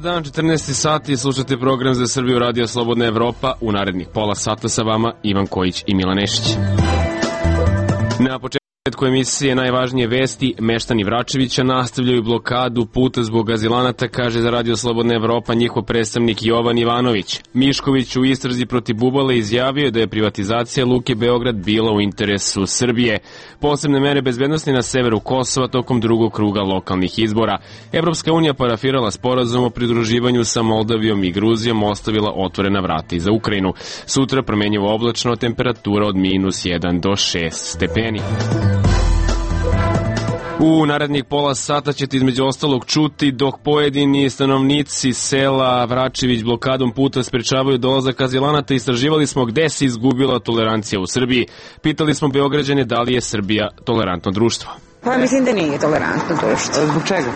dan, 14 sati, slušate program za Srbiju Radio Slobodna Evropa. U narednih pola sata sa vama Ivan Kojić i Milan Nešić. Na početku emisije najvažnije vesti. Meštani Vračevića nastavljaju blokadu puta zbog azilanata, kaže za Radio Slobodna Evropa njihov predstavnik Jovan Ivanović. Mišković u istrazi protiv Bubale izjavio da je privatizacija Luke Beograd bila u interesu Srbije. Posebne mere bezbednosti na severu Kosova tokom drugog kruga lokalnih izbora. Evropska unija parafirala sporazum o pridruživanju sa Moldavijom i Gruzijom, ostavila otvorena vrata i za Ukrajinu. Sutra promenjivo oblačno, temperatura od -1 do 6 stepeni. U narednih pola sata ćete između ostalog čuti dok pojedini stanovnici sela Vračević blokadom puta sprečavaju dolazak azilanata. Istraživali smo gde se izgubila tolerancija u Srbiji. Pitali smo Beograđane da li je Srbija tolerantno društvo. Pa mislim da nije tolerantno društvo. Zbog čega?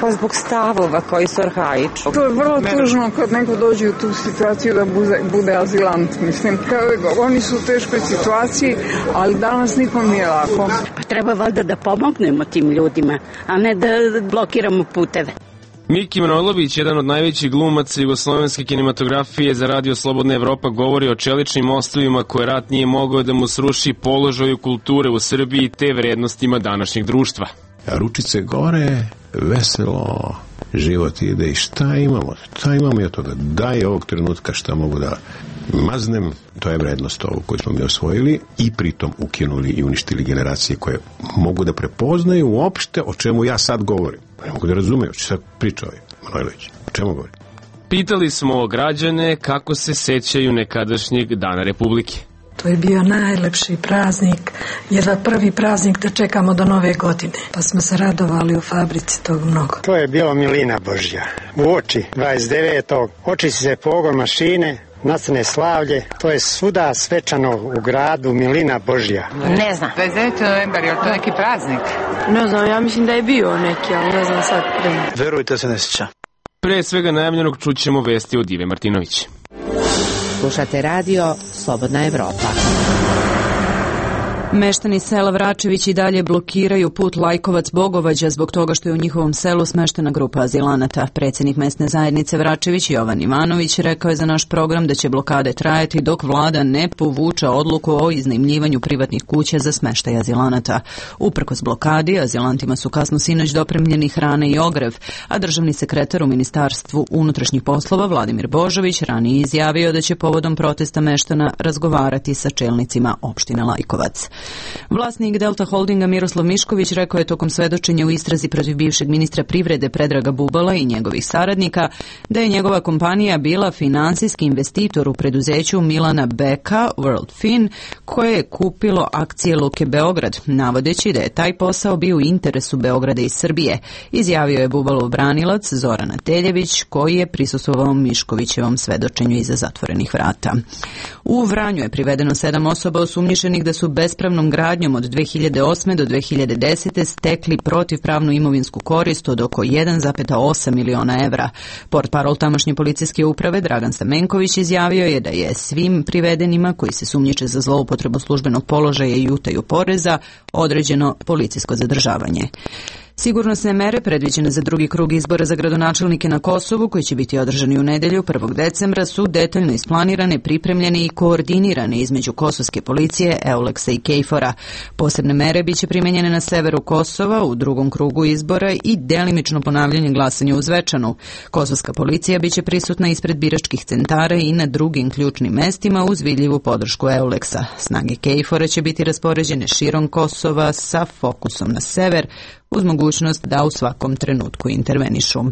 Pa zbog stavova koji su arhaični. To je vrlo tužno kad neko dođe u tu situaciju da bude azilant. Mislim, oni su u teškoj situaciji, ali danas nikom nije lako. Pa treba valjda da pomognemo tim ljudima, a ne da blokiramo puteve. Miki Manojlović, jedan od najvećih glumaca jugoslovenske kinematografije za Radio Slobodna Evropa, govori o čeličnim mostovima koje rat nije mogao da mu sruši, položaju kulture u Srbiji te vrednostima današnjeg društva. Ručice gore, veselo, život ide i šta imamo? Šta imamo i od toga? Daj ovog trenutka šta mogu da maznem, to je vrednost ovu koju smo mi osvojili i pritom ukinuli i uništili generacije koje mogu da prepoznaju uopšte o čemu ja sad govorim. Ne mogu da razumeju, što sad priča ovaj Manojlović. O čemu govori? Pitali smo građane kako se sećaju nekadašnjeg Dana Republike. To je bio najlepši praznik, jedva prvi praznik da čekamo do nove godine. Pa smo se radovali u fabrici tog mnogo. To je bilo milina Božja. U oči 29. oči se pogon mašine, nastane slavlje. To je svuda svečano u gradu, milina Božja. Ne znam. 29. novembar, je li to neki praznik? Ne znam, ja mislim da je bio neki, ali ne znam sad. Verujte se, ne sjeća. Pre svega najavljenog čućemo vesti od Ive Martinović. Slušate radio Slobodna Evropa. Meštani sela Vračević i dalje blokiraju put Lajkovac-Bogovađa zbog toga što je u njihovom selu smeštena grupa azilanata. Predsjednik mesne zajednice Vračević Jovan Ivanović rekao je za naš program da će blokade trajati dok vlada ne povuče odluku o iznajmljivanju privatnih kuća za smeštaj azilanata. Uprkos blokadi, azilantima su kasno sinoć dopremljeni hrane i ogrev, a državni sekretar u Ministarstvu unutrašnjih poslova Vladimir Božović ranije izjavio da će povodom protesta meštana razgovarati sa čelnicima opštine Lajkovac. Vlasnik Delta Holdinga Miroslav Mišković rekao je tokom svedočenja u istrazi protiv bivšeg ministra privrede Predraga Bubala i njegovih saradnika da je njegova kompanija bila finansijski investitor u preduzeću Milana Beka, WorldFin, koje je kupilo akcije Luke Beograd, navodeći da je taj posao bio u interesu Beograda i Srbije, izjavio je Bubalov branilac Zoran Ateljević, koji je prisustvovao Miškovićevom svedočenju iza zatvorenih vrata. U Vranju je privedeno 7 osoba osumnjičenih da su bespravnom gradnjom od 2008. do 2010. stekli protivpravnu imovinsku korist od oko 1,8 miliona evra. Portparol tamošnje policijske uprave Dragan Stamenković izjavio je da je svim privedenima koji se sumnjiče za zloupotrebu službenog položaja i utaju poreza određeno policijsko zadržavanje. Sigurnosne mere predviđene za drugi krug izbora za gradonačelnike na Kosovu, koji će biti održani u nedelju 1. decembra, su detaljno isplanirane, pripremljene i koordinirane između kosovske policije, Euleksa i Kejfora. Posebne mere biće primenjene na severu Kosova u drugom krugu izbora i delimično ponavljanje glasanja u Zvečanu. Kosovska policija biće prisutna ispred biračkih centara i na drugim ključnim mestima uz vidljivu podršku Euleksa. Snage Kejfora će biti raspoređene širom Kosova sa fokusom na sever, uz mogućnost da u svakom trenutku intervenišu.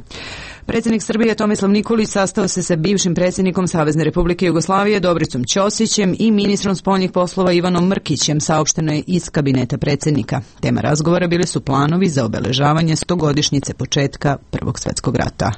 Predsjednik Srbije Tomislav Nikolić sastao se sa bivšim predsjednikom Savezne Republike Jugoslavije Dobricom Ćosićem i ministrom spoljnih poslova Ivanom Mrkićem, saopšteno je iz kabineta predsjednika. Tema razgovora bili su planovi za obeležavanje 100-godišnjice početka Prvog svjetskog rata.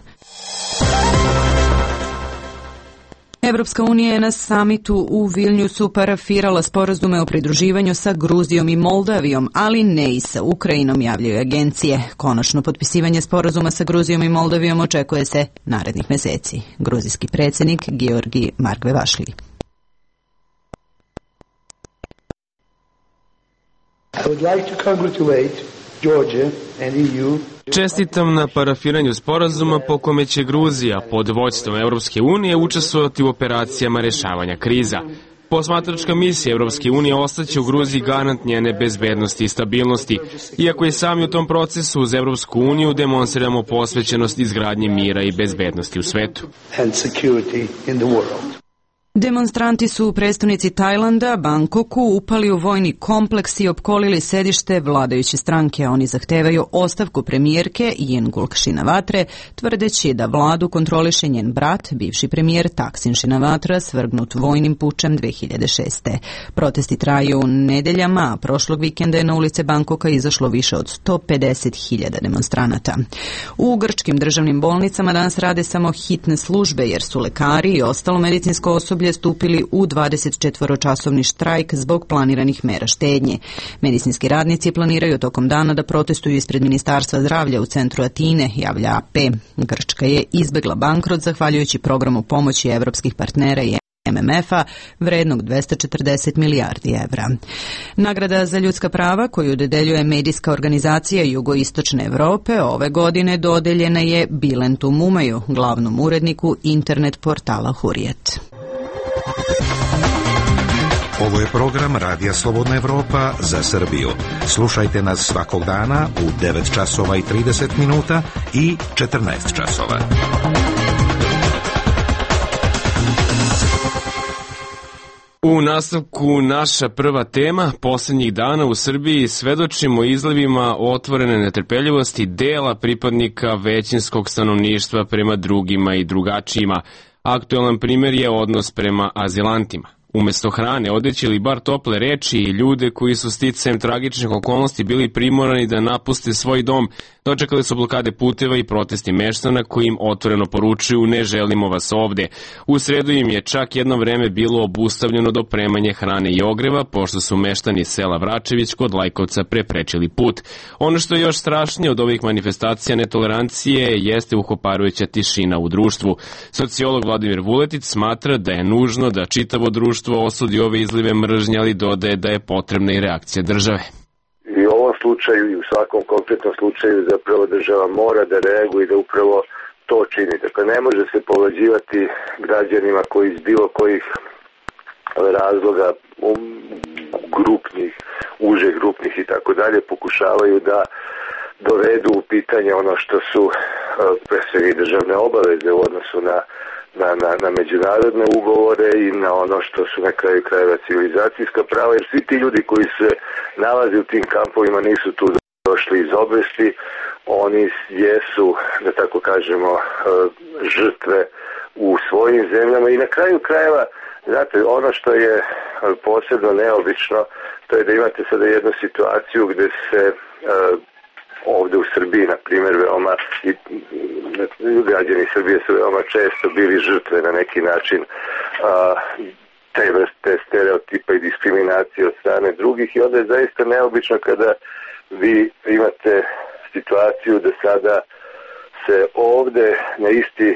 Evropska unija je na samitu u Vilniusu parafirala sporazume o pridruživanju sa Gruzijom i Moldavijom, ali ne i sa Ukrajinom, javljaju agencije. Konačno potpisivanje sporazuma sa Gruzijom i Moldavijom očekuje se narednih meseci. Gruzijski predsjednik Georgi Margvevašli. I would like to congratulate Georgia and EU Čestitam na parafiranju sporazuma po kome će Gruzija pod vođstvom Evropske unije učestvovati u operacijama rešavanja kriza. Posmatračka misija Evropske unije ostaće u Gruziji garant njene bezbednosti i stabilnosti, iako i sami u tom procesu uz Evropsku uniju demonstriramo posvećenost izgradnje mira i bezbednosti u svetu. Demonstranti su u prestonici Tajlanda, Bangkoku, upali u vojni kompleks i opkolili sedište vladajuće stranke. Oni zahtevaju ostavku premijerke Yingluck Shinawatre, tvrdeći da vladu kontroliše njen brat, bivši premijer Thaksin Shinawatra, svrgnut vojnim pučem 2006. Protesti traju nedeljama, a prošlog vikenda je na ulice Bangkoka izašlo više od 150.000 demonstranata. U grčkim državnim bolnicama danas rade samo hitne službe, jer su lekari i ostalo medicinsko osoblje stupili u 24-časovni štrajk zbog planiranih mera štednje. Medicinski radnici planiraju tokom dana da protestuju ispred Ministarstva zdravlja u centru Atine, javlja AP. Grčka je izbegla bankrot zahvaljujući programu pomoći evropskih partnera i MMF-a vrednog 240 milijardi evra. Nagrada za ljudska prava koju dodeljuje medijska organizacija Jugoistočne Evrope ove godine dodeljena je Bilentu Mumaju, glavnom uredniku internet portala Hurrijet. Ovo je program Radija Slobodna Evropa za Srbiju. Slušajte nas svakog dana u 9 časova i 30 minuta i 14 časova. U nastavku naša prva tema, posljednjih dana u Srbiji svedočimo izlivima otvorene netrpeljivosti dela pripadnika većinskog stanovništva prema drugima i drugačijima. Aktualan primjer je odnos prema azilantima. Umesto hrane, odeće ili bar tople reči i ljude koji su sticajem tragičnih okolnosti bili primorani da napuste svoj dom, dočekali su blokade puteva i protesti meštana koji im otvoreno poručuju ne želimo vas ovde. U sredu im je čak jedno vreme bilo obustavljeno dopremanje hrane i ogreva, pošto su meštani sela Vračević kod Lajkovca preprečili put. Ono što je još strašnije od ovih manifestacija netolerancije jeste uhoparujuća tišina u društvu. Sociolog Vladimir Vuletić smatra da je nužno da čitavo društvo osudi ove izlive mržnje, ali dodaje da je potrebna i reakcija države. I u ovom slučaju i u svakom konkretnom slučaju zapravo država mora da reaguje i da upravo to čini. Dakle, ne može se povlađivati građanima koji iz bilo kojih razloga grupnih, uže grupnih i tako dalje pokušavaju da dovedu u pitanje ono što su pre svega državne obaveze u odnosu na međunarodne ugovore i na ono što su na kraju krajeva civilizacijska prava, jer svi ti ljudi koji se nalaze u tim kampovima nisu tu došli iz obesti, oni jesu, da tako kažemo, žrtve u svojim zemljama i na kraju krajeva, znate, ono što je posebno neobično, to je da imate sada jednu situaciju gde se ovde u Srbiji, na primjer, veoma i građani Srbije su veoma često bili žrtve na neki način te vrste stereotipa i diskriminacije od strane drugih i onda je zaista neobično kada vi imate situaciju da sada se ovde na isti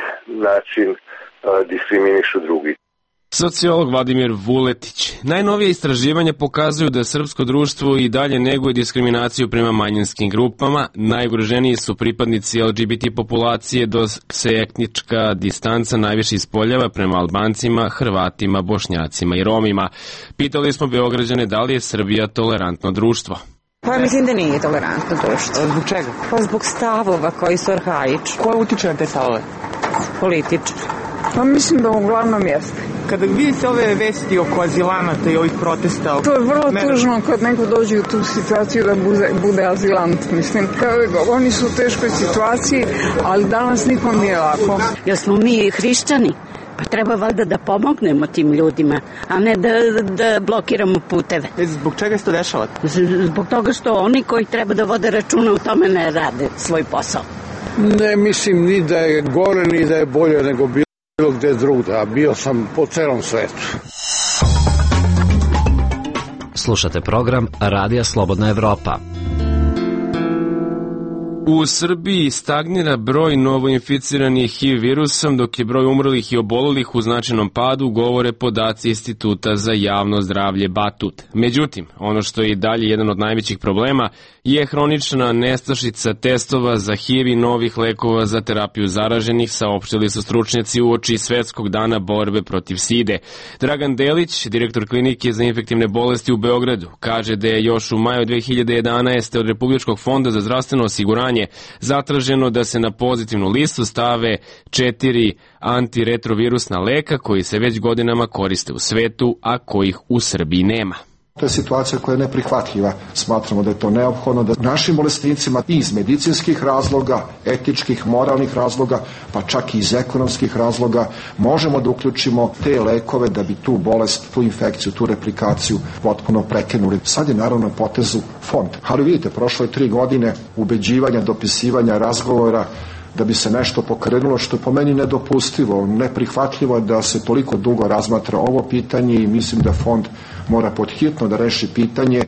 način diskriminišu drugi. Sociolog Vladimir Vuletić. Najnovije istraživanja pokazuju da srpsko društvo i dalje neguje diskriminaciju prema manjinskim grupama. Najugroženiji su pripadnici LGBT populacije, dok se etnička distanca najviše ispoljava prema Albancima, Hrvatima, Bošnjacima i Romima. Pitali smo Beograđane da li je Srbija tolerantno društvo. Pa mislim da nije tolerantno društvo. Zbog čega? Pa zbog stavova koji su arhaični. Ko utiče na te stavove? Politički. Pa mislim da uglavnom jeste. Kada vidite ove vesti oko azilanata i ovih protesta... To je vrlo tužno kad neko dođe u tu situaciju da bude azilant. Mislim, oni su u teškoj situaciji, ali danas nikom nije lako. Jer smo mi hrišćani, pa treba valjda da pomognemo tim ljudima, a ne da blokiramo puteve. Zbog čega se to dešava? Zbog toga što oni koji treba da vode računa u tome ne rade svoj posao. Ne mislim ni da je gore, ni da je bolje nego bilo gde drugda, a bio sam po celom svetu. Slušate program Radija Slobodna Evropa. U Srbiji stagnira broj novoinficiranih HIV virusom, dok je broj umrlih i obolelih u značajnom padu, govore podaci Instituta za javno zdravlje Batut. Međutim, ono što je i dalje jedan od najvećih problema je hronična nestašica testova za HIV i novih lekova za terapiju zaraženih, saopštili su stručnjaci uoči Svetskog dana borbe protiv side. Dragan Delić, direktor klinike za infektivne bolesti u Beogradu, kaže da je još u maju 2011. od Republičkog fonda za zdravstveno osiguranje zatraženo da se na pozitivnu listu stave 4 antiretrovirusna leka koji se već godinama koriste u svetu, a kojih u Srbiji nema. To je situacija koja je neprihvatljiva. Smatramo da je to neophodno da našim bolesnicima i iz medicinskih razloga, etičkih, moralnih razloga, pa čak i iz ekonomskih razloga možemo da uključimo te lekove da bi tu bolest, tu infekciju, tu replikaciju potpuno prekinuli. Sad je naravno na potezu fond. Ali vidite, prošlo je 3 godine ubeđivanja, dopisivanja, razgovora da bi se nešto pokrenulo, što je po meni nedopustivo, neprihvatljivo da se toliko dugo razmatra ovo pitanje i mislim da fond mora podhitno da reši pitanje.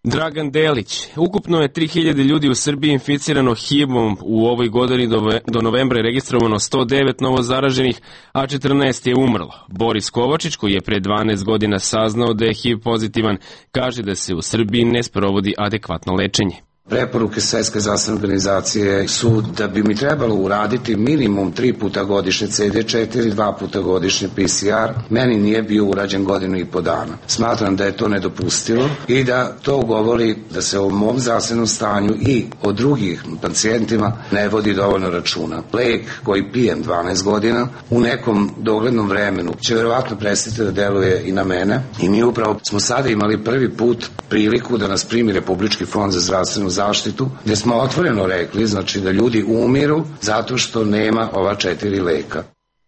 Dragan Delić, ukupno je 3000 ljudi u Srbiji inficirano HIV-om, u ovoj godini do novembra je registrovano 109 novo zaraženih, a 14 je umrlo. Boris Kovačić, koji je pre 12 godina saznao da je HIV pozitivan, kaže da se u Srbiji ne sprovodi adekvatno lečenje. Preporuke Svetske zdravstvene organizacije su da bi mi trebalo uraditi minimum 3 puta godišnje CD4, 2 puta godišnje PCR. Meni nije bio urađen 1.5 godina. Smatram da je to nedopustivo i da to govori da se o mom zdravstvenom stanju i o drugih pacijentima ne vodi dovoljno računa. Lek koji pijem 12 godina u nekom doglednom vremenu će verovatno prestati da deluje i na mene i mi upravo smo sada imali prvi put priliku da nas primi Republički fond za zdravstvenu zaštitu, gde smo otvoreno rekli, znači da ljudi umiru zato što nema ova 4 leka.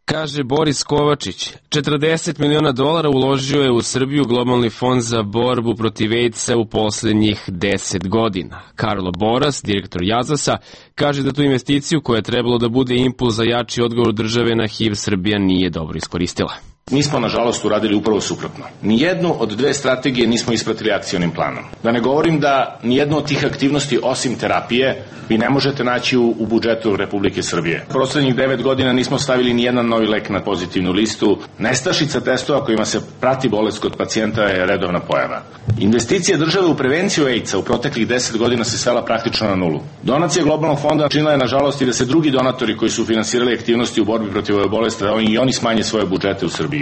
Kaže Boris Kovačić, $40 miliona uložio je u Srbiju Globalni fond za borbu protiv AIDS-a u poslednjih 10 godina. Karlo Boras, direktor Jazasa, kaže da tu investiciju koja je trebalo da bude impuls za jači odgovor države na HIV Srbija nije dobro iskoristila. Mi smo, nažalost, uradili upravo suprotno. Nijednu od 2 strategije nismo ispratili akcionim planom. Da ne govorim da nijednu od tih aktivnosti, osim terapije, vi ne možete naći u budžetu Republike Srbije. Poslednjih 9 godina nismo stavili nijedan novi lek na pozitivnu listu. Nestašica testova kojima se prati bolest kod pacijenta je redovna pojava. Investicija države u prevenciju AIDS-a u proteklih 10 godina se svela praktično na nulu. Donacija Globalnog fonda činila je, nažalost, i da se drugi donatori koji su finansirali aktivnosti u borbi protiv ove bolesti, i oni smanje svoje budžete u Srbiji.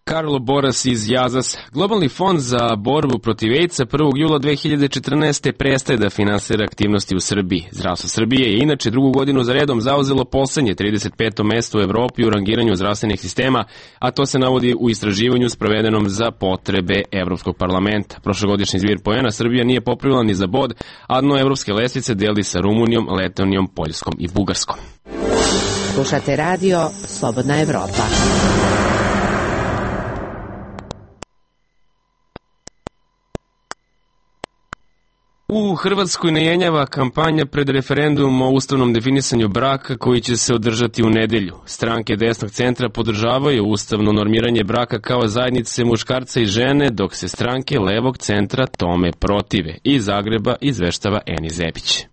Karlo Boras iz Jazas. Globalni fond za borbu protiv AIDS-a 1. jula 2014. prestaje da finansira aktivnosti u Srbiji. Zdravstvo Srbije je inače drugu godinu za redom zauzelo poslednje 35. mesto u Evropi u rangiranju zdravstvenih sistema, a to se navodi u istraživanju sprovedenom za potrebe Evropskog parlamenta. Prošlogodišnji zbir poena Srbija nije popravila ni za bod, a dno evropske lestvice deli sa Rumunijom, Letonijom, Poljskom i Bugarskom. Slušate radio Slobodna Evropa. U Hrvatskoj ne jenjava kampanja pred referendum o ustavnom definisanju braka koji će se održati u nedelju. Stranke desnog centra podržavaju ustavno normiranje braka kao zajednice muškarca i žene, dok se stranke levog centra tome protive. Iz Zagreba izveštava Eni Zebić.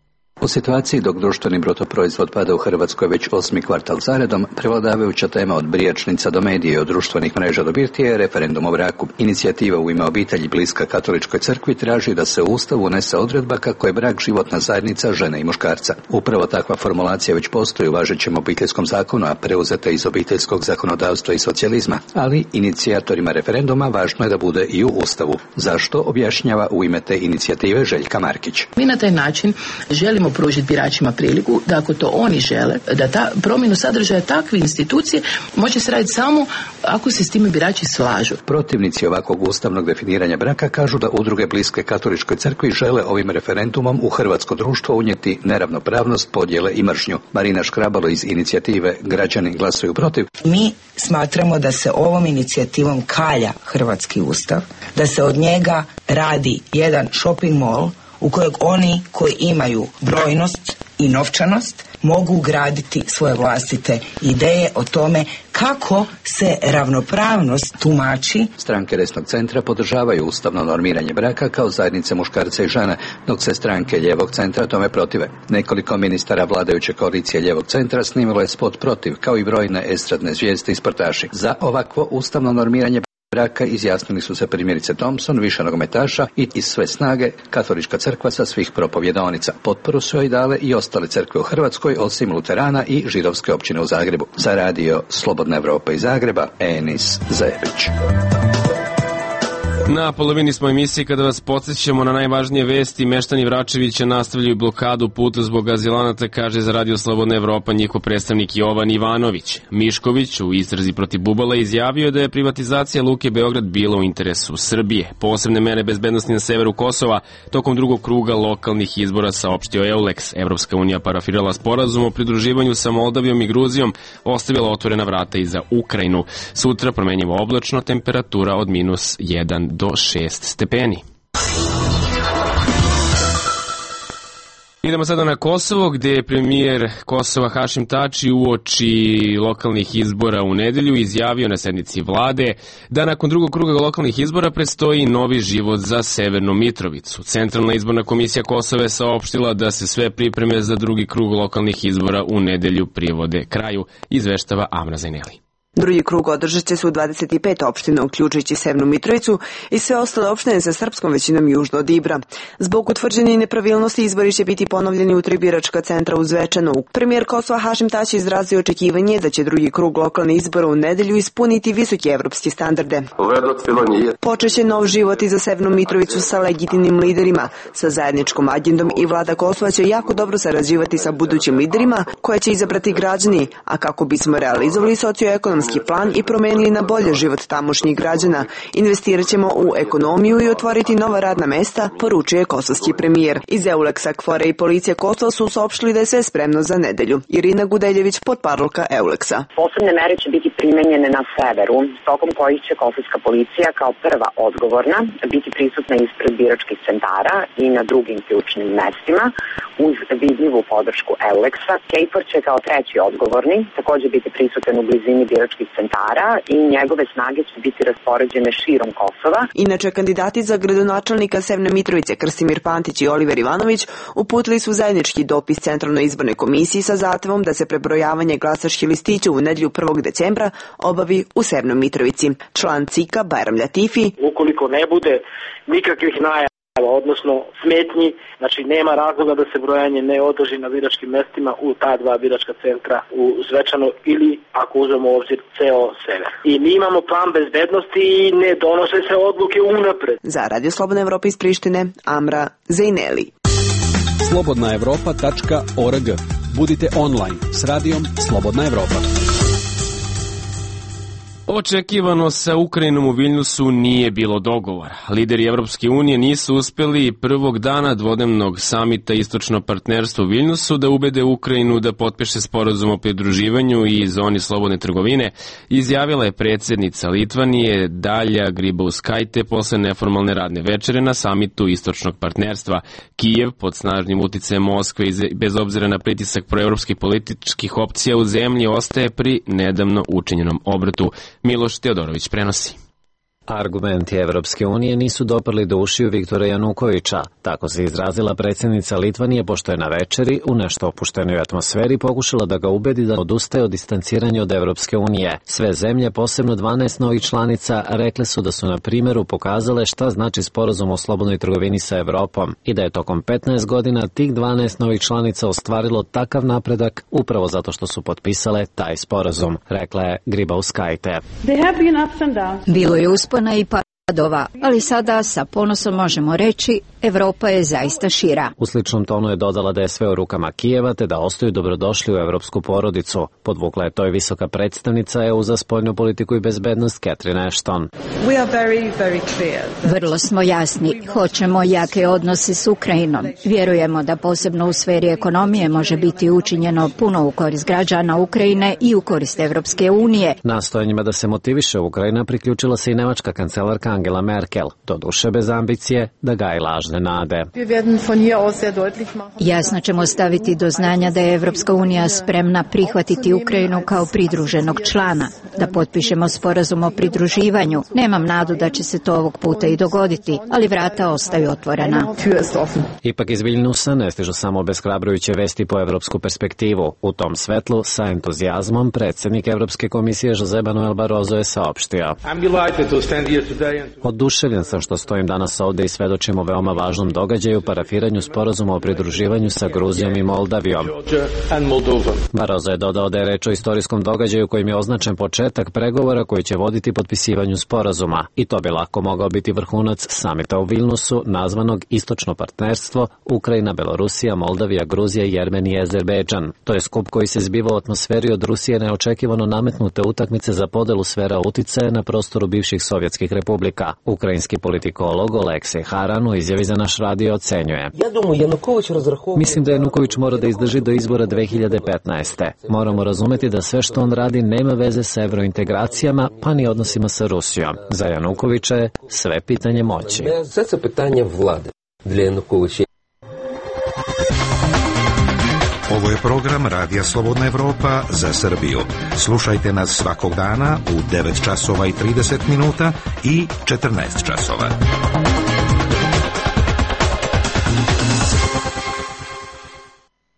U situaciji dok društveni bruto proizvod pada u Hrvatskoj već 8. kvartal zaredom, prevladavajuća tema od brijačnica do medije i od društvenih mreža do birtije je referendum o braku. Inicijativa U ime obitelji bliska katoličkoj crkvi traži da se u Ustavu unese odredba kako je brak životna zajednica žene i muškarca. Upravo takva formulacija već postoji u važećem obiteljskom zakonu, a preuzeta iz obiteljskog zakonodavstva i socijalizma, ali inicijatorima referenduma važno je da bude i u Ustavu. Zašto, objašnjava U ime te inicijative Željka Markić. Mi na taj način želimo pružiti biračima priliku da ako to oni žele, da ta promjenu sadržaja takve institucije može se raditi samo ako se s time birači slažu. Protivnici ovakvog ustavnog definiranja braka kažu da udruge bliske katoličkoj crkvi žele ovim referendumom u hrvatsko društvo unijeti neravnopravnost, podjele i mržnju. Marina Škrabalo iz inicijative Građani glasuju protiv. Mi smatramo da se ovom inicijativom kalja hrvatski ustav, da se od njega radi jedan shopping mall u kojeg oni koji imaju brojnost i novčanost mogu ugraditi svoje vlastite ideje o tome kako se ravnopravnost tumači. Stranke desnog centra podržavaju ustavno normiranje braka kao zajednice muškarca i žene, dok se stranke lijevog centra tome protive. Nekoliko ministara vladajuće koalicije lijevog centra snimilo je spot protiv, kao i brojne estradne zvijezde i sportaši. Za ovakvo ustavno normiranje braka izjasnili su se primjerice Thompson, više nogometaša i iz sve snage Katolička crkva sa svih propovjedonica. Potporu su joj dale i ostale crkve u Hrvatskoj, osim Luterana i židovske općine u Zagrebu. Za radio Slobodna Evropa iz Zagreba, Enis Zajević. Na polovini smo emisije kada vas podsjećamo na najvažnije vesti. Meštani Vračevića nastavljaju blokadu puta zbog azilanata, kaže za radio Slobodna Evropa njihov predstavnik Jovan Ivanović. Mišković u istrazi protiv Bubala izjavio da je privatizacija Luke Beograd bila u interesu Srbije. Posebne mere bezbednosti na severu Kosova tokom drugog kruga lokalnih izbora, saopštio EULEX. Evropska unija parafirala sporazum o pridruživanju sa Moldavijom i Gruzijom, ostavila otvorena vrata i za Ukrajinu. Sutra promenjivo oblačno, temperatura od -1 do 6 stepeni. Idemo sada na Kosovo, gde je premijer Kosova Hašim Tači uoči lokalnih izbora u nedelju izjavio na sednici vlade da nakon drugog kruga lokalnih izbora predstoji novi život za Severnu Mitrovicu. Centralna izborna komisija Kosova je saopštila da se sve pripreme za drugi krug lokalnih izbora u nedelju privode kraju, izveštava Amra Zajneli. Drugi krug održat će se u 25 opština, uključujući Severnu Mitrovicu i sve ostale opštine sa srpskom većinom južno od Ibra. Zbog utvrđenih nepravilnosti izbori će biti ponovljeni u 3 biračka centra u Zvečanu. Premijer Kosova Hašim Tači izrazio očekivanje da će drugi krug lokalnih izbora u nedelju ispuniti visoke evropske standarde. Počeće nov život i za Severnu Mitrovicu sa legitimnim liderima, sa zajedničkom agendom i vlada Kosova će jako dobro sarađivati sa budućim liderima koje će izabrati građani, a kako bismo realizovali socioekonomski plan i promenili na bolje život tamošnjih građana. Investirat ćemo u ekonomiju i otvoriti nova radna mesta, poručuje kosovski premijer. Iz EULEX-a, KFOR-a i policije Kosova su saopštili da je sve spremno za nedelju. Irina Gudeljević, potparolka EULEX-a. Posebne mere će biti primenjene na severu, tokom kojih će kosovska policija kao prva odgovorna biti prisutna ispred biračkih centara i na drugim ključnim mestima uz vidljivu podršku EULEX-a. KFOR će kao treći odgovorni također biti prisutan u blizini biračkih centara i njegove snage će biti raspoređene širom Kosova. Inače, kandidati za gradonačelnika Severne Mitrovice Krsimir Pantić i Oliver Ivanović uputili su zajednički dopis Centralnoj izbornoj komisiji sa zahtevom da se prebrojavanje glasačkih listića u nedelju 1. decembra obavi u Severnoj Mitrovici. Član CIK-a Bajram Latifi: ukoliko ne bude nikakvih najava, odnosno smetnji, znači nema razloga da se brojanje ne održi na biračkim mestima u ta 2 biračka centra u Zvečanu ili, ako uzmemo u obzir, ceo sever. I mi imamo plan bezbednosti i ne donose se odluke unapred. Za Radio Slobodna Evropa iz Prištine, Amra Zajneli. slobodnaevropa.org. Budite online s radijom Slobodna Evropa. Očekivano sa Ukrajinom u Viljnusu nije bilo dogovora. Lideri Evropske unije nisu uspeli prvog dana dvodnevnog samita Istočno partnerstvo u Viljnusu da ubede Ukrajinu da potpiše sporazum o pridruživanju i zoni slobodne trgovine, izjavila je predsjednica Litvanije Dalja Grybauskaitė posle neformalne radne večere na samitu Istočnog partnerstva. Kijev pod snažnim uticajem Moskve i bez obzira na pritisak proevropskih političkih opcija u zemlji ostaje pri nedavno učinjenom obratu. Miloš Teodorović prenosi. Argumenti Evropske unije nisu doprli do ušiju Viktora Janukovića. Tako se izrazila predsjednica Litvanije pošto je na večeri u nešto opuštenoj atmosferi pokušala da ga ubedi da odustaje od distanciranja od Evropske unije. Sve zemlje, posebno 12 novih članica, rekle su da su na primjeru pokazale šta znači sporazum o slobodnoj trgovini sa Evropom i da je tokom 15 godina tih 12 novih članica ostvarilo takav napredak upravo zato što su potpisale taj sporazum, rekla je Grybauskaitė. Bilo je uspona i padova, ali sada sa ponosom možemo reći Evropa je zaista šira. U sličnom tonu je dodala da je sve u rukama Kijeva te da ostaju dobrodošli u evropsku porodicu. Podvukla je to i visoka predstavnica EU za spoljnu politiku i bezbednost Catherine Ashton. Vrlo smo jasni, hoćemo jake odnose s Ukrajinom. Vjerujemo da posebno u sferi ekonomije može biti učinjeno puno u korist građana Ukrajine i u korist Evropske unije. Nastojanjima da se motiviše Ukrajina priključila se i nemačka kancelarka Angela Merkel, doduše bez ambicije da gaji lažne lažne nade. Jasno ćemo staviti do znanja da je Evropska unija spremna prihvatiti Ukrajinu kao pridruženog člana, da potpišemo sporazum o pridruživanju. Nemam nadu da će se to ovog puta i dogoditi, ali vrata ostaju otvorena. Ipak iz Viljnusa ne stižu samo obeshrabrujuće vesti po evropsku perspektivu. U tom svetlu, sa entuzijazmom, predsjednik Evropske komisije José Manuel Barroso je saopštio: Oduševljen sam što stojim danas ovde i svedočim o veoma važnom događaju, parafiranju sporazuma o pridruživanju sa Gruzijom i Moldavijom. Barroso je dodao da je reč o istorijskom događaju kojim je označen početak pregovora koji će voditi potpisivanju sporazuma. I to bi lako mogao biti vrhunac samita u Vilnusu, nazvanog Istočno partnerstvo Ukrajina, Belorusija, Moldavija, Gruzija, Jermenija i Azerbejdžan. To je skup koji se zbiva u atmosferi od Rusije neočekivano nametnute utakmice za podelu sfera uticaja na prostoru bivših sovjetskih republika. Ukrajinski politikolog Oleksij Haran u izjavi za naš radio ocenjuje: Mislim da Januković mora da izdrži do izbora 2015. Moramo razumeti da sve što on radi nema veze sa evrointegracijama, pa ni odnosima sa Rusijom. Za Janukovića je sve pitanje moći. Ovo je program Radija Slobodna Evropa za Srbiju. Slušajte nas svakog dana u 9 časova i 30 minuta i 14 časova.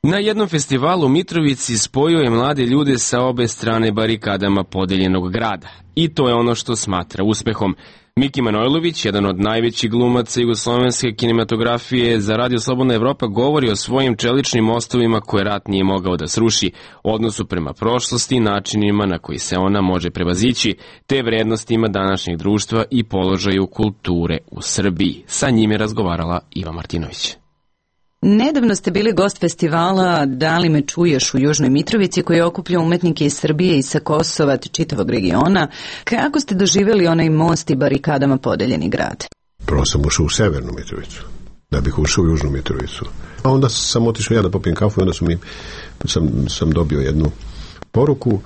Na jednom festivalu u Mitrovici spojio je mlade ljude sa obe strane barikadama podeljenog grada. I to je ono što smatra uspehom. Miki Manojlović, jedan od najvećih glumaca jugoslovenske kinematografije, za Radio Slobodna Evropa govori o svojim čeličnim mostovima koje rat nije mogao da sruši, odnosu prema prošlosti, načinima na koji se ona može prevazići, te vrednostima današnjeg društva i položaju kulture u Srbiji. Sa njim je razgovarala Iva Martinović. Nedavno ste bili gost festivala Da li me čuješ u Južnoj Mitrovici, koji okuplja umetnike iz Srbije i sa Kosova te čitavog regiona. Kako ste doživjeli onaj most i barikadama podeljeni grad? Prvo sam ušao u Severnu Mitrovicu, da bih ušao u Južnu Mitrovicu. A onda sam otišao ja da popijem kafu i onda sam dobio jednu poruku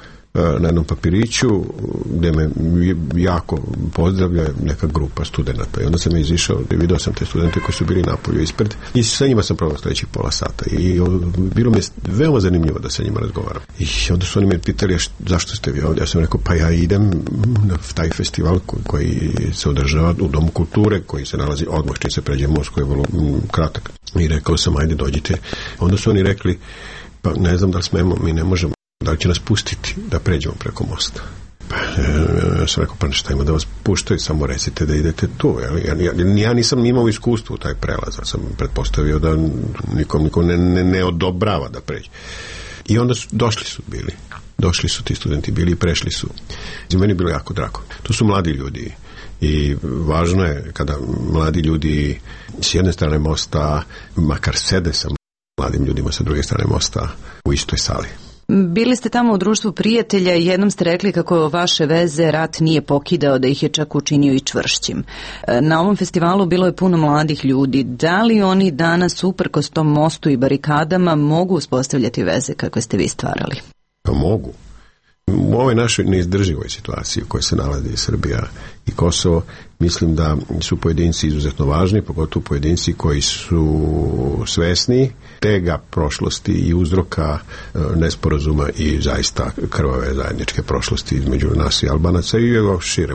na jednom papiriću gdje me jako pozdravlja neka grupa studenta i onda sam izišao i vidio sam te studente koji su bili napolju ispred i sa njima sam provao sljedećih pola sata i bilo mi je veoma zanimljivo da sa njima razgovaram. I onda su oni me pitali zašto ste vi ovdje, ja sam rekao pa ja idem na taj festival koji se održava u Domu kulture koji se nalazi odmah čim se pređe most koji je vrlo kratak i rekao sam ajde dođite. Onda su oni rekli pa ne znam da li smemo, mi ne možemo, da li će nas pustiti da pređemo preko mosta. Ja sam rekao, pa šta ima da vas puštaju, samo recite da idete tu. Ja nisam imao iskustvo u taj prelaz, sam pretpostavio da nikom ne odobrava da pređe. I onda došli su ti studenti, bili i prešli su. I meni je bilo jako drago. To su mladi ljudi i važno je kada mladi ljudi s jedne strane mosta, makar sede sa mladim ljudima sa druge strane mosta u istoj sali. Bili ste tamo u društvu prijatelja i jednom ste rekli kako vaše veze rat nije pokidao, da ih je čak učinio i čvršćim. Na ovom festivalu bilo je puno mladih ljudi. Da li oni danas, uprkos tom mostu i barikadama, mogu uspostavljati veze kakve ste vi stvarali? Pa mogu. U ovoj našoj neizdrživoj situaciji u kojoj se nalazi Srbija i Kosovo, mislim da su pojedinci izuzetno važni, pogotovo pojedinci koji su svesni tega prošlosti i uzroka nesporazuma i zaista krvave zajedničke prošlosti između nas i Albanaca i šire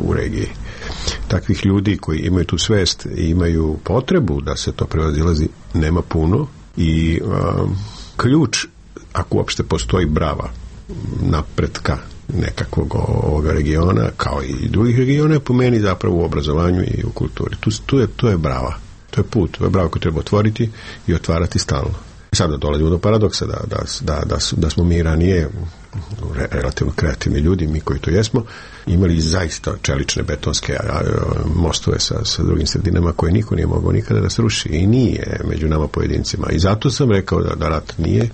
u regiji. Takvih ljudi koji imaju tu svest i imaju potrebu da se to prevazilazi nema puno i ključ, ako uopšte postoji brava napretka nekakvog ovoga regiona, kao i drugih regiona, po meni zapravo u obrazovanju i u kulturi. To je brava. To je put. To je brava koju treba otvoriti i otvarati stalno. Sada dolazimo do paradoksa da smo mi ranije relativno kreativni ljudi, mi koji to jesmo, imali zaista čelične betonske mostove sa drugim sredinama koje niko nije mogao nikada da sruši i nije među nama pojedincima. I zato sam rekao da rat nije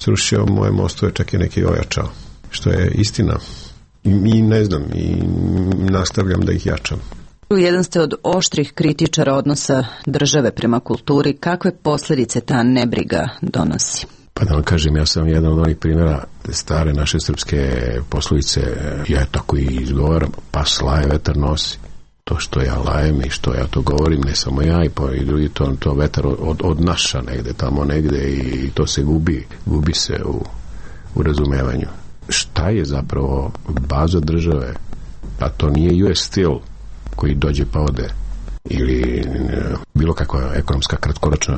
srušio moje mostove, čak je neki ojačao. Što je istina. I ne znam, i nastavljam da ih jačam. Jedan ste od oštrih kritičara odnosa države prema kulturi. Kakve posljedice ta nebriga donosi? Pa da vam kažem, ja sam jedan od onih primjera stare naše srpske poslovice, ja tako i izgovaram, pa slaje vetar nosi. To što ja lajem i što ja to govorim, ne samo ja i drugi, to vetar odnaša negde, tamo negde i to se gubi se u razumevanju. Šta je zapravo baza države? Pa to nije US Steel koji dođe pa ode, ili bilo kakva ekonomska kratkoročna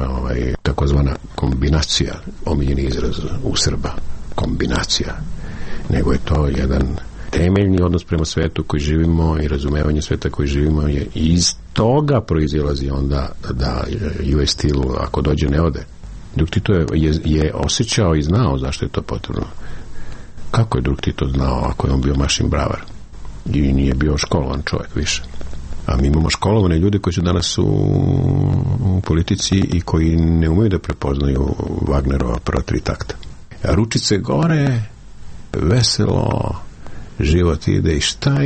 takozvana kombinacija, omiljeni izraz u Srba, kombinacija, nego je to jedan temeljni odnos prema svetu koji živimo i razumevanje sveta koji živimo je iz toga proizilazi onda da US Steel ako dođe ne ode. Dok Tito je osjećao i znao zašto je to potrebno. Kako je drug Tito znao ako je on bio mašin bravar i nije bio školovan čovjek više? A mi imamo školovane ljude koji su danas u politici i koji ne umeju da prepoznaju Wagnerova prva 3 takta. A ručice gore, veselo, život ide i šta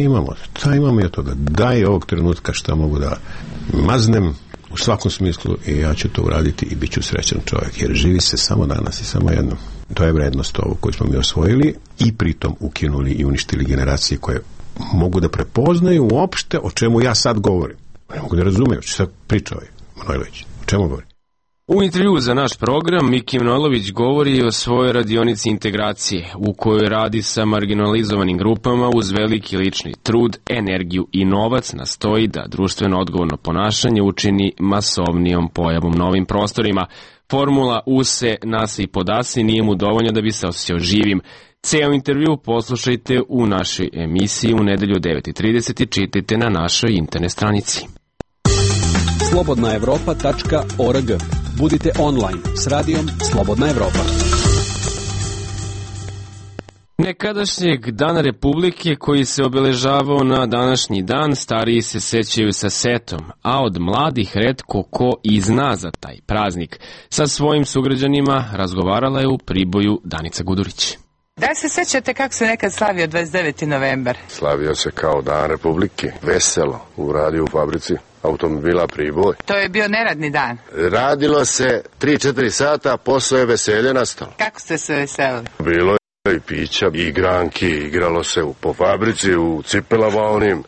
imamo i od toga? Daj ovog trenutka šta mogu da maznem u svakom smislu i ja ću to uraditi i bit ću srećan čovjek, jer živi se samo danas i samo jednom. To je vrednost ovo koju smo mi osvojili i pritom ukinuli i uništili generacije koje mogu da prepoznaju uopšte o čemu ja sad govorim. Ne mogu da razumeju, što sad priča ovaj Manojlović. O čemu govori? U intervju za naš program Miki Manojlović govori o svojoj radionici integracije u kojoj radi sa marginalizovanim grupama uz veliki lični trud, energiju i novac nastoji da društveno odgovorno ponašanje učini masovnijom pojavom na ovim prostorima. Formula use, nase i podasi nije mu dovoljno da bi se osjećao živim. Ceo intervju poslušajte u našoj emisiji u nedelju 9:30 i čitajte na našoj internet stranici. slobodnaevropa.org. Budite online s radijom Slobodna Evropa. Nekadašnjeg Dana Republike koji se obeležavao na današnji dan, stariji se sećaju sa setom, a od mladih retko ko i zna za taj praznik. Sa svojim sugrađanima razgovarala je u Priboju Danica Gudurić. Da se sećate kako se nekad slavio 29. novembar? Slavio se kao Dan Republike, veselo, u radiju u fabrici automobila Priboj. To je bio neradni dan. Radilo se 3-4 sata, posle je veselje nastalo. Kako ste se veselili? Bilo je i pića, i igranki, igralo se po fabrici, u cipelama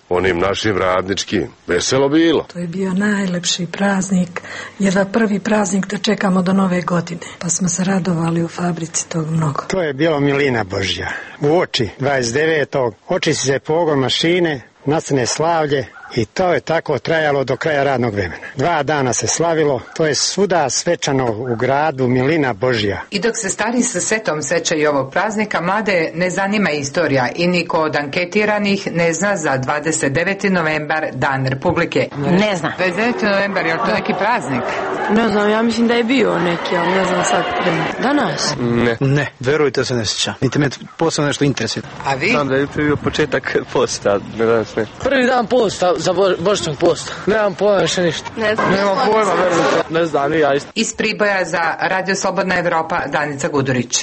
onim našim radničkim. Veselo bilo. To je bio najlepši praznik, jedva prvi praznik da čekamo do nove godine. Pa smo se radovali u fabrici tog mnogo. To je bilo milina Božja. U oči 29. očisti se pogon mašine, nastane slavlje. I to je tako trajalo do kraja radnog vremena. 2 dana se slavilo, to je svuda svečano u gradu, milina Božja. I dok se stari sa setom sećaju ovog praznika, mlade ne zanima istorija i niko od anketiranih ne zna za 29. novembar, Dan Republike. Ne zna. 29. novembar, je li to neki praznik? Ne znam, ja mislim da je bio neki, ali ne znam sad. Danas? Ne, verujte se ne sjećam. Niti me posebno nešto interesuje. A vi? Znam da je bio početak posta, danas ne. Prvi dan posta, za božićnog posta. Nemam pojma više ništa. Nemam pojma, verujte. Ne znam, ni ja isto. Iz Priboja za Radio Slobodna Evropa, Danica Gudurić.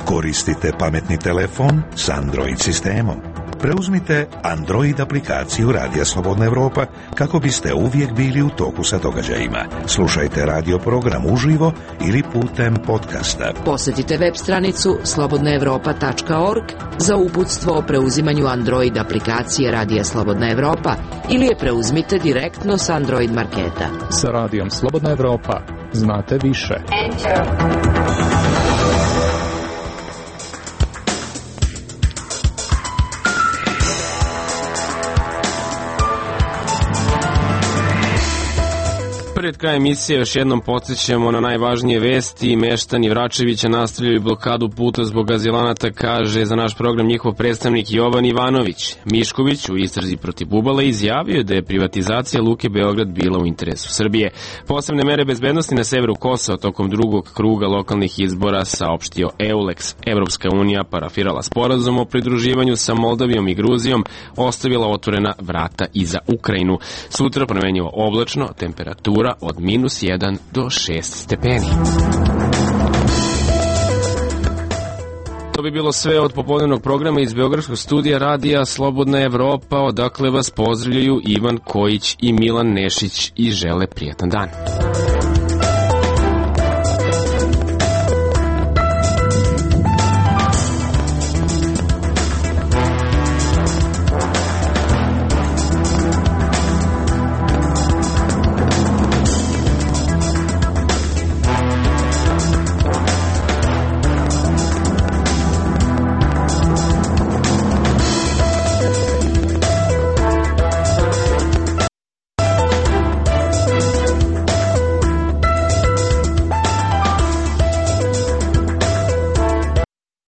Koristite pametni telefon s Android sistemom. Preuzmite Android aplikaciju Radija Slobodna Evropa kako biste uvijek bili u toku sa događajima. Slušajte radio program uživo ili putem podcasta. Posjetite web stranicu slobodnaevropa.org za uputstvo o preuzimanju Android aplikacije Radija Slobodna Evropa ili je preuzmite direktno s Android marketa. Sa Radijom Slobodna Evropa znate više. Pred krajem emisije još jednom podsjećamo na najvažnije vesti. Meštani Vračevića nastavljaju blokadu puta zbog azilanata, kaže za naš program njihov predstavnik Jovan Ivanović. Mišković u istrazi protiv Bubala izjavio da je privatizacija Luke Beograd bila u interesu Srbije. Posebne mere bezbednosti na severu Kosova tokom drugog kruga lokalnih izbora saopštio EULEX. Evropska unija parafirala sporazum o pridruživanju sa Moldavijom i Gruzijom, ostavila otvorena vrata i za Ukrajinu. Sutra promenjivo oblačno, temperatura od -1 do 6 stepeni. To bi bilo sve od popodnevnog programa iz Beogradskog studija Radija Slobodna Evropa, odakle vas pozdravljaju Ivan Kojić i Milan Nešić i žele prijatan dan.